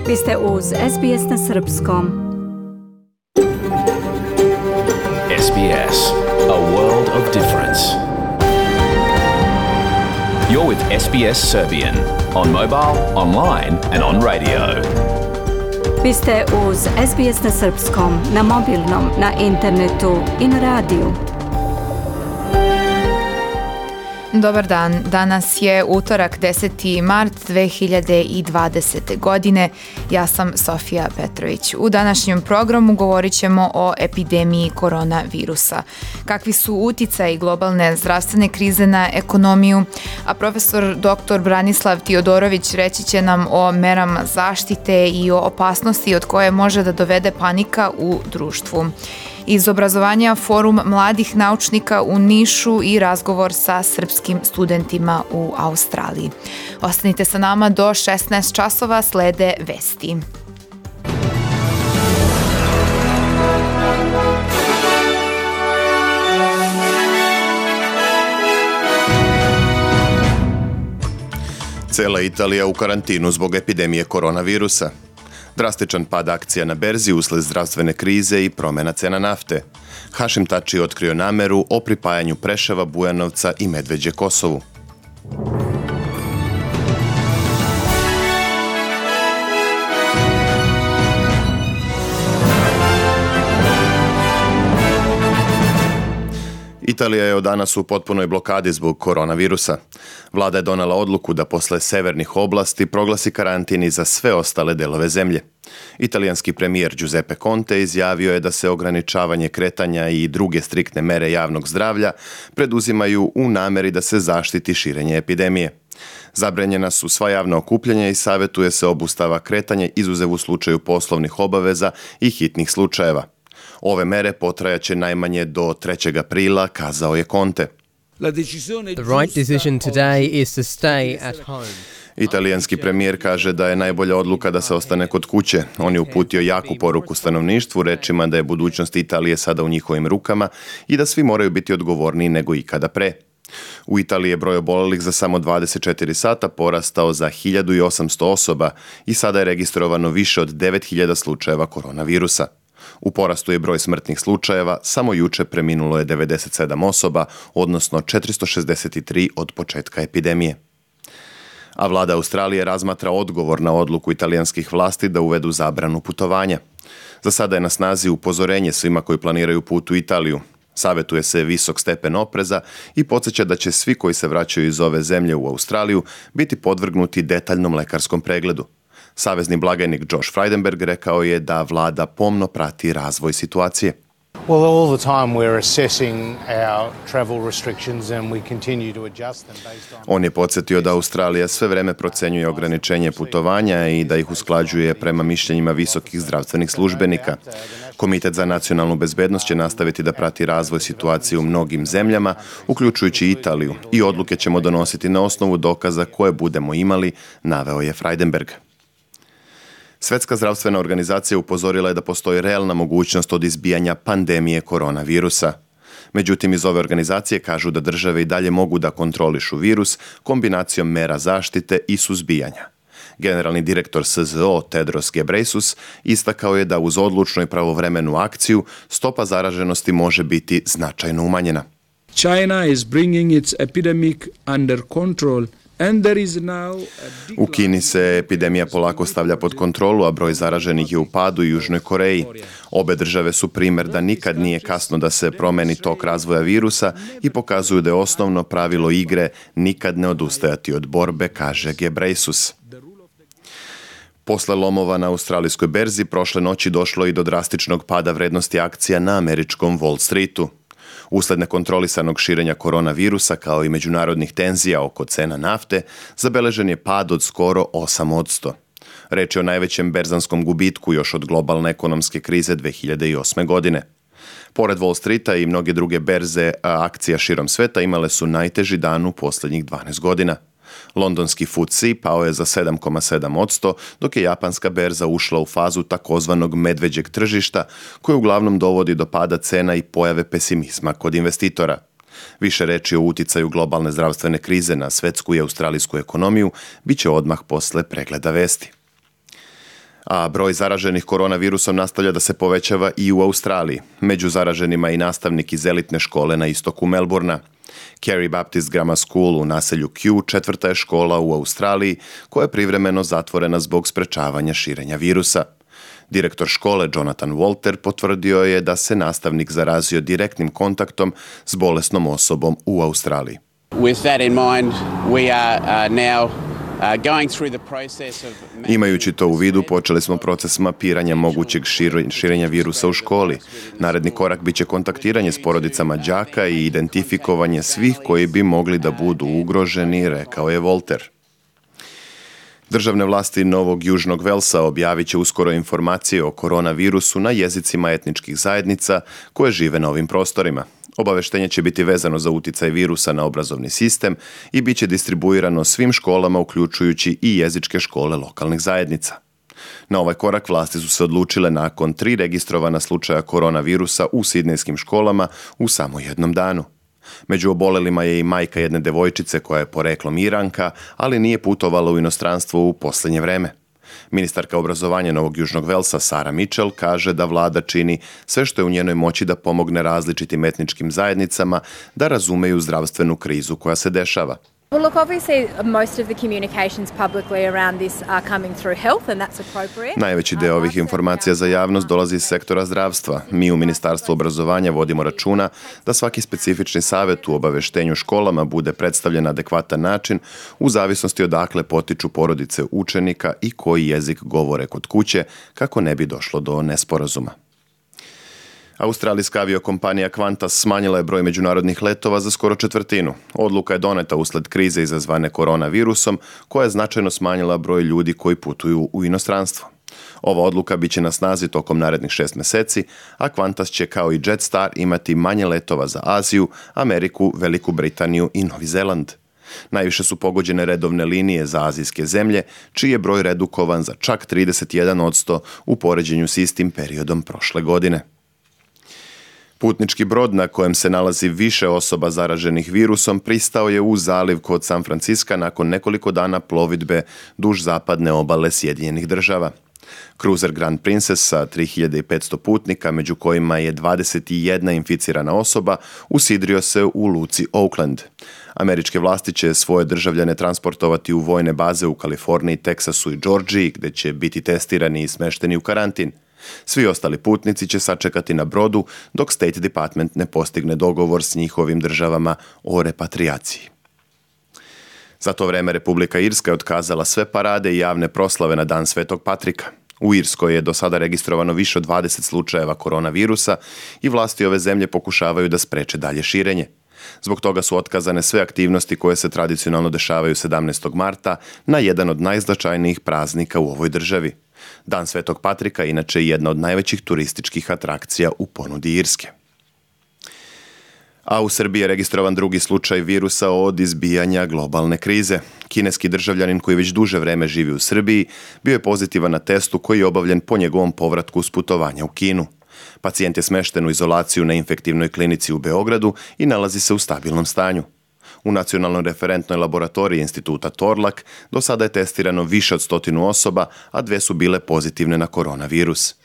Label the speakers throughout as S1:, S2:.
S1: Vi ste uz SBS na Srpskom.
S2: SBS, a world of difference. You're with SBS Serbian on mobile, online and on radio.
S1: Vi ste uz SBS na Srpskom, na mobilnom, na internetu i na radiju.
S3: Dobar dan, danas je utorak 10. mart 2020. godine. Ja sam Sofija Petrović. U današnjem programu govorit ćemo o epidemiji koronavirusa. Kakvi su uticaji globalne zdravstvene krize na ekonomiju, a profesor dr. Branislav Tiodorović reći će nam o merama zaštite i o opasnosti od koje može da dovede panika u društvu. Iz obrazovanja Forum mladih naučnika u Nišu i razgovor sa srpskim studentima u Australiji. Ostanite sa nama do 16 časova, slede vesti.
S4: Cela Italija u karantinu zbog epidemije koronavirusa. Drastičan pad akcija na berzi usled zdravstvene krize i promjena cena nafte. Hašim Tači otkrio nameru o pripajanju Preševa, Bujanovca i Medveđe Kosovu. Italija je od danas u potpunoj blokadi zbog koronavirusa. Vlada je donela odluku da posle severnih oblasti proglasi karantin i za sve ostale delove zemlje. Italijanski premijer Giuseppe Conte izjavio je da se ograničavanje kretanja i druge striktne mere javnog zdravlja preduzimaju u nameri da se zaštiti širenje epidemije. Zabranjena su sva javna okupljanja i savjetuje se obustava kretanja izuzev u slučaju poslovnih obaveza i hitnih slučajeva. Ove mere potrajaće najmanje do 3. aprila, kazao je Conte.
S5: The right decision today is to stay at home.
S4: Italijanski premijer kaže da je najbolja odluka da se ostane kod kuće. On je uputio jaku poruku stanovništvu, rečima da je budućnost Italije sada u njihovim rukama i da svi moraju biti odgovorniji nego ikada pre. U Italiji je broj obolelih za samo 24 sata porastao za 1800 osoba i sada je registrovano više od 9000 slučajeva koronavirusa. U porastu je broj smrtnih slučajeva, samo juče preminulo je 97 osoba, odnosno 463 od početka epidemije. A vlada Australije razmatra odgovor na odluku italijanskih vlasti da uvedu zabranu putovanja. Za sada je na snazi upozorenje svima koji planiraju put u Italiju. Savjetuje se visok stepen opreza i podsjeća da će svi koji se vraćaju iz ove zemlje u Australiju biti podvrgnuti detaljnom lekarskom pregledu. Savezni blagajnik Josh Frydenberg rekao je da vlada pomno prati razvoj situacije.
S6: Well, all the time we're assessing our travel restrictions and we continue to adjust them based on...
S4: On je podsjetio da Australija sve vreme procenjuje ograničenje putovanja i da ih usklađuje prema mišljenjima visokih zdravstvenih službenika. Komitet za nacionalnu bezbednost će nastaviti da prati razvoj situacije u mnogim zemljama, uključujući Italiju, i odluke ćemo donositi na osnovu dokaza koje budemo imali, naveo je Frydenberg. Svetska zdravstvena organizacija upozorila je da postoji realna mogućnost od izbijanja pandemije koronavirusa. Međutim, iz ove organizacije kažu da države i dalje mogu da kontrolišu virus kombinacijom mera zaštite i suzbijanja. Generalni direktor SZO Tedros Ghebreyesus istakao je da uz odlučnu i pravovremenu akciju stopa zaraženosti može biti značajno umanjena.
S7: China is bringing its epidemic under control.
S4: U Kini se epidemija polako stavlja pod kontrolu, a broj zaraženih je u padu u Južnoj Koreji. Obe države su primjer da nikad nije kasno da se promeni tok razvoja virusa i pokazuju da je osnovno pravilo igre nikad ne odustajati od borbe, kaže Ghebreyesus. Posle lomova na australijskoj berzi prošle noći došlo i do drastičnog pada vrednosti akcija na američkom Wall Streetu. Usled nekontrolisanog širenja koronavirusa kao i međunarodnih tenzija oko cena nafte, zabeležen je pad od skoro 8%. Reč je o najvećem berzanskom gubitku još od globalne ekonomske krize 2008. godine. Pored Wall Streeta i mnoge druge berze, akcija širom sveta imale su najteži dan u posljednjih 12 godina. Londonski FTSE pao je za 7,7%, dok je japanska berza ušla u fazu takozvanog medveđeg tržišta, koje uglavnom dovodi do pada cena i pojave pesimizma kod investitora. Više reči o uticaju globalne zdravstvene krize na svetsku i australijsku ekonomiju bit će odmah posle pregleda vesti. A broj zaraženih koronavirusom nastavlja da se povećava i u Australiji. Među zaraženima je i nastavnik iz elitne škole na istoku Melbourna. Carey Baptist Grammar School u naselju Kew četvrta je škola u Australiji koja je privremeno zatvorena zbog sprečavanja širenja virusa. Direktor škole Jonathan Walter potvrdio je da se nastavnik zarazio direktnim kontaktom s bolesnom osobom u Australiji.
S8: With that in mind, we are now going through the process of...
S4: Imajući to u vidu, počeli smo proces mapiranja mogućeg širenja virusa u školi. Naredni korak biće kontaktiranje s porodicama đaka i identifikovanje svih koji bi mogli da budu ugroženi, rekao je Walter. Državne vlasti Novog Južnog Velsa objavit će uskoro informacije o koronavirusu na jezicima etničkih zajednica koje žive na ovim prostorima. Obaveštenje će biti vezano za uticaj virusa na obrazovni sistem i bit će distribuirano svim školama, uključujući i jezičke škole lokalnih zajednica. Na ovaj korak vlasti su se odlučile nakon 3 registrovana slučaja koronavirusa u sidnejskim školama u samo jednom danu. Među obolelima je i majka jedne devojčice koja je poreklom Iranka, ali nije putovala u inostranstvo u posljednje vreme. Ministarka obrazovanja Novog Južnog Velsa Sarah Mitchell kaže da vlada čini sve što je u njenoj moći da pomogne različitim etničkim zajednicama da razumeju zdravstvenu krizu koja se dešava.
S9: Well, look, obviously most of the communications publicly around this are coming through health and that's appropriate.
S4: Najveći deo ovih informacija za javnost dolazi iz sektora zdravstva. Mi u Ministarstvu obrazovanja vodimo računa da svaki specifični savjet u obaveštenju školama bude predstavljen na adekvatan način u zavisnosti odakle potiču porodice učenika i koji jezik govore kod kuće kako ne bi došlo do nesporazuma. Australijska aviokompanija Qantas smanjila je broj međunarodnih letova za skoro četvrtinu. Odluka je doneta usled krize izazvane koronavirusom, koja je značajno smanjila broj ljudi koji putuju u inostranstvo. Ova odluka bit će na snazi tokom narednih 6 mjeseci, a Qantas će kao i Jetstar imati manje letova za Aziju, Ameriku, Veliku Britaniju i Novi Zeland. Najviše su pogođene redovne linije za azijske zemlje, čiji je broj redukovan za čak 31% u poređenju s istim periodom prošle godine. Putnički brod na kojem se nalazi više osoba zaraženih virusom pristao je u zaliv kod San Franciska nakon nekoliko dana plovidbe duž zapadne obale Sjedinjenih Država. Cruiser Grand Princess sa 3500 putnika, među kojima je 21 inficirana osoba, usidrio se u luci Oakland. Američke vlasti će svoje državljane transportovati u vojne baze u Kaliforniji, Teksasu i Georgiji, gde će biti testirani i smešteni u karantin. Svi ostali putnici će sačekati na brodu dok State Department ne postigne dogovor s njihovim državama o repatriaciji. Za to vreme Republika Irska je otkazala sve parade i javne proslave na Dan Svetog Patrika. U Irskoj je do sada registrovano više od 20 slučajeva koronavirusa i vlasti ove zemlje pokušavaju da spreče dalje širenje. Zbog toga su otkazane sve aktivnosti koje se tradicionalno dešavaju 17. marta na jedan od najznačajnijih praznika u ovoj državi. Dan Svetog Patrika je inače jedna od najvećih turističkih atrakcija u ponudi Irske. A u Srbiji je registrovan drugi slučaj virusa od izbijanja globalne krize. Kineski državljanin koji već duže vreme živi u Srbiji bio je pozitivan na testu koji je obavljen po njegovom povratku s putovanja u Kinu. Pacijent je smešten u izolaciju na infektivnoj klinici u Beogradu i nalazi se u stabilnom stanju. U nacionalnoj referentnoj laboratoriji instituta Torlak do sada je testirano više od 100 osoba, a 2 su bile pozitivne na koronavirus.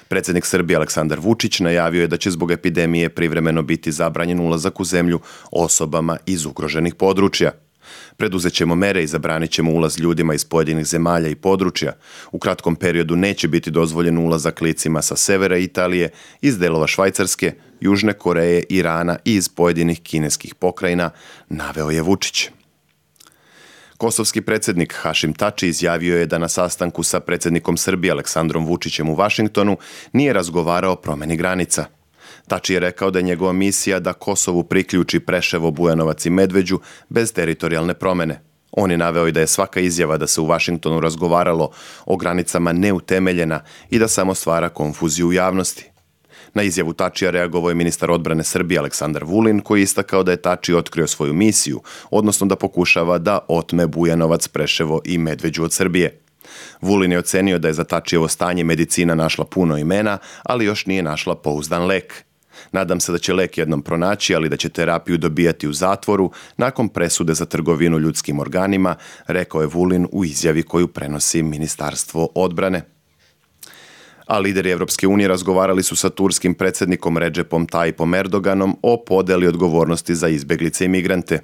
S4: Predsjednik Srbije Aleksandar Vučić najavio je da će zbog epidemije privremeno biti zabranjen ulazak u zemlju osobama iz ugroženih područja. Preduzet ćemo mere i zabranit ćemo ulaz ljudima iz pojedinih zemalja i područja. U kratkom periodu neće biti dozvoljen ulazak licima sa severa Italije, iz delova Švajcarske, Južne Koreje, Irana i iz pojedinih kineskih pokrajina, naveo je Vučić. Kosovski predsjednik Hašim Tači izjavio je da na sastanku sa predsjednikom Srbije Aleksandrom Vučićem u Vašingtonu nije razgovarao o promjeni granica. Tači je rekao da je njegova misija da Kosovu priključi Preševo, Bujanovac i Medveđu bez teritorijalne promjene. On je naveo i da je svaka izjava da se u Vašingtonu razgovaralo o granicama neutemeljena i da samo stvara konfuziju u javnosti. Na izjavu Tačija reagovao je ministar odbrane Srbije Aleksandar Vulin, koji je istakao da je Tači otkrio svoju misiju, odnosno da pokušava da otme Bujanovac, Preševo i Medveđu od Srbije. Vulin je ocenio da je za Tačijevo stanje medicina našla puno imena, ali još nije našla pouzdan lek. Nadam se da će lek jednom pronaći, ali da će terapiju dobijati u zatvoru nakon presude za trgovinu ljudskim organima, rekao je Vulin u izjavi koju prenosi Ministarstvo odbrane. A lideri Evropske unije razgovarali su sa turskim predsjednikom Recepom Tayyipom Erdoganom o podeli odgovornosti za izbjeglice i migrante.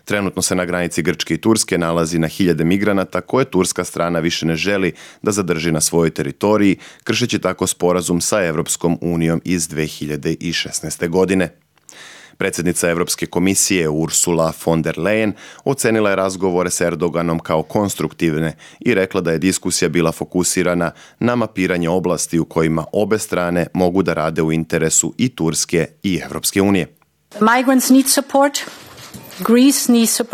S4: Trenutno se na granici Grčke i Turske nalazi na hiljade migranata koje turska strana više ne želi da zadrži na svojoj teritoriji, kršeći tako sporazum sa Evropskom unijom iz 2016. godine. Predsjednica Europske komisije Ursula von der Leyen ocenila je razgovore s Erdoganom kao konstruktivne i rekla da je diskusija bila fokusirana na mapiranje oblasti u kojima obe strane mogu da rade u interesu i Turske i Europske unije.
S10: Migrants need support. Greece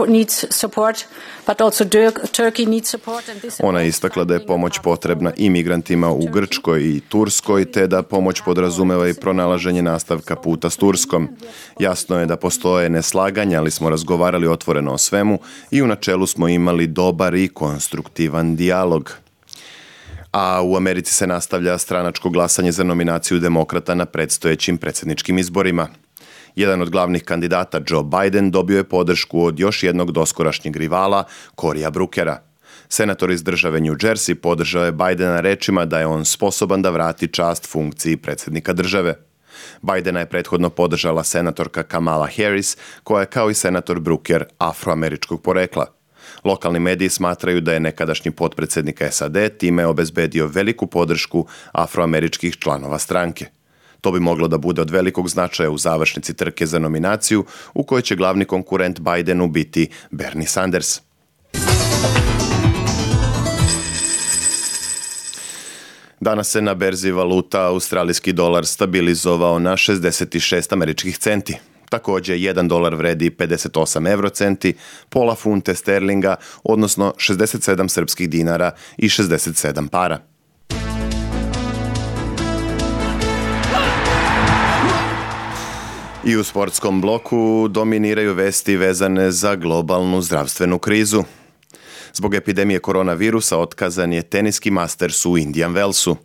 S10: needs support, but also Turkey needs support.
S4: Ona je istakla da je pomoć potrebna i migrantima u Grčkoj i Turskoj, te da pomoć podrazumeva i pronalaženje nastavka puta s Turskom. Jasno je da postoje neslaganja, ali smo razgovarali otvoreno o svemu i u načelu smo imali dobar i konstruktivan dijalog. A u Americi se nastavlja stranačko glasanje za nominaciju demokrata na predstojećim predsjedničkim izborima. Jedan od glavnih kandidata, Joe Biden, dobio je podršku od još jednog doskorašnjeg rivala, Corya Brookera. Senator iz države New Jersey podržao je Bidena rečima da je on sposoban da vrati čast funkciji predsjednika države. Bidena je prethodno podržala senatorka Kamala Harris, koja je kao i senator Brooker afroameričkog porekla. Lokalni mediji smatraju da je nekadašnji potpredsjednik SAD time obezbedio veliku podršku afroameričkih članova stranke. To bi moglo da bude od velikog značaja u završnici trke za nominaciju u kojoj će glavni konkurent Bidenu biti Bernie Sanders. Danas se na berzi valuta australijski dolar stabilizovao na 66 američkih centi. Također, 1 dolar vredi 58 eurocenti, pola funte sterlinga, odnosno 67 srpskih dinara i 67 para. I u sportskom bloku dominiraju vesti vezane za globalnu zdravstvenu krizu. Zbog epidemije koronavirusa otkazan je teniski Masters u Indian Wellsu.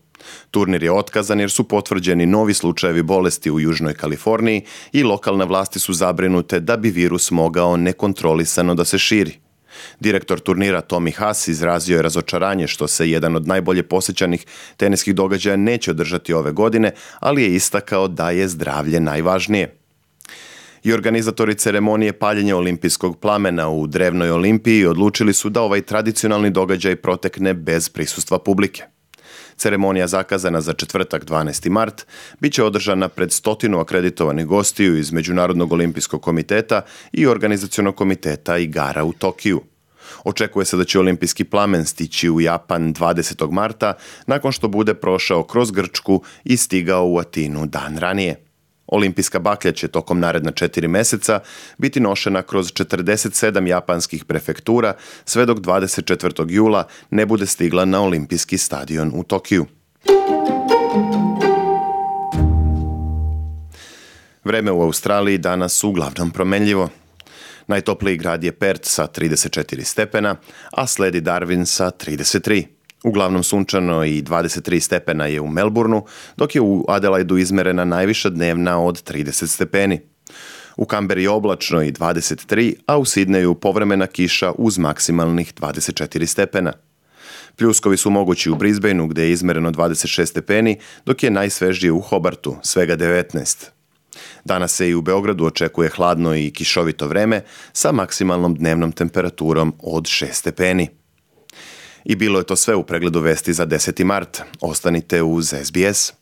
S4: Turnir je otkazan jer su potvrđeni novi slučajevi bolesti u Južnoj Kaliforniji i lokalne vlasti su zabrinute da bi virus mogao nekontrolisano da se širi. Direktor turnira Tommy Haas izrazio je razočaranje što se jedan od najbolje posjećanih teniskih događaja neće održati ove godine, ali je istakao da je zdravlje najvažnije. I organizatori ceremonije paljenja olimpijskog plamena u Drevnoj Olimpiji odlučili su da ovaj tradicionalni događaj protekne bez prisustva publike. Ceremonija zakazana za četvrtak 12. mart bit će održana pred 100 akreditovanih gostiju iz Međunarodnog olimpijskog komiteta i organizacionog komiteta igara u Tokiju. Očekuje se da će olimpijski plamen stići u Japan 20. marta nakon što bude prošao kroz Grčku i stigao u Atinu dan ranije. Olimpijska baklja će tokom naredna 4 mjeseca biti nošena kroz 47 japanskih prefektura sve dok 24. jula ne bude stigla na olimpijski stadion u Tokiju. Vreme u Australiji danas uglavnom promenljivo. Najtopliji grad je Perth sa 34 stepena, a sledi Darwin sa 33. Uglavnom sunčano i 23 stepena je u Melbourneu, dok je u Adelaidu izmerena najviša dnevna od 30 stepeni. U Kamberi je oblačno i 23, a u Sidneju povremena kiša uz maksimalnih 24 stepena. Pljuskovi su mogući u Brisbaneu gdje je izmereno 26 stepeni, dok je najsvežije u Hobartu, svega 19. Danas se i u Beogradu očekuje hladno i kišovito vreme sa maksimalnom dnevnom temperaturom od 6 stepeni. I bilo je to sve u pregledu vesti za 10. mart. Ostanite uz SBS.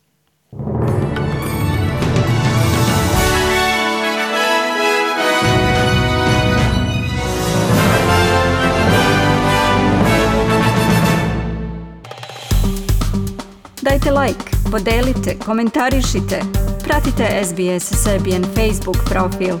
S1: Dajte like, podelite, komentarišite. Pratite SBS Serbian Facebook profil.